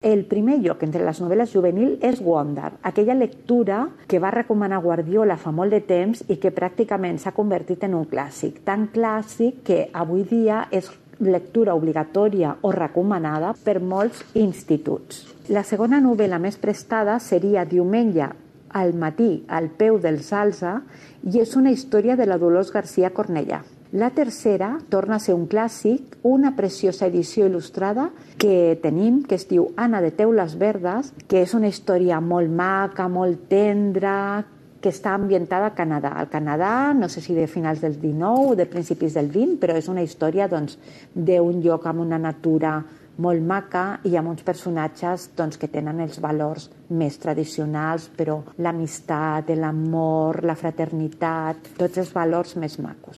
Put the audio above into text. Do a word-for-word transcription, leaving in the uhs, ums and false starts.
El primer lloc entre les novel·les juvenils és Wonder, aquella lectura que va recomanar Guardiola fa molt de temps i que pràcticament s'ha convertit en un clàssic. Tan clàssic que avui dia és lectura obligatòria o recomanada per molts instituts. La segona novel·la més prestada seria Diumenge al matí al peu del Salze i és una història de la Dolors García Cornellà. La tercera torna a ser un clàssic, una preciosa edició il·lustrada que tenim, que es diu Anna de Teules Verdes, que és una història molt maca, molt tendra, que està ambientada a Canadà. Al Canadà, no sé si de finals del dinou o de principis del vint, però és una història doncs, d'un lloc amb una natura molt maca i amb uns personatges doncs, que tenen els valors més tradicionals, però l'amistat, l'amor, la fraternitat, tots els valors més macos.